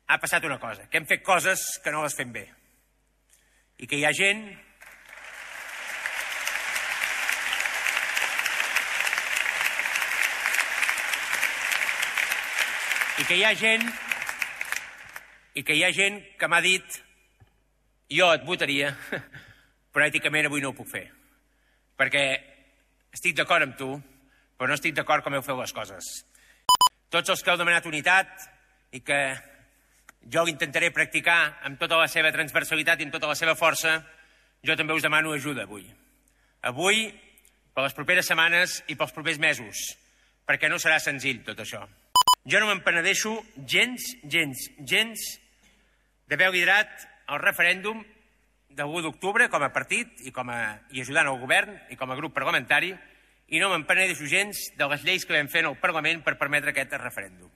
ha passat una cosa, que hem fet coses que no les fem bé. I que hi ha gent que m'ha dit jo et votaria, però èticament avui no ho puc fer. Perquè estic d'acord amb tu, però no estic d'acord com heu fet les coses. Tots els que heu demanat unitat i que jo intentaré practicar amb tota la seva transversalitat i amb tota la seva força, jo també us demano ajuda avui. Avui, per les properes setmanes i pels propers mesos, perquè no serà senzill tot això. Jo no me'n penedeixo gens d'haver liderat el referèndum del 1 d'octubre com a partit i ajudant el govern i com a grup parlamentari, i no me'n penedeixo gens de les lleis que vam fer en el Parlament per permetre aquest referèndum.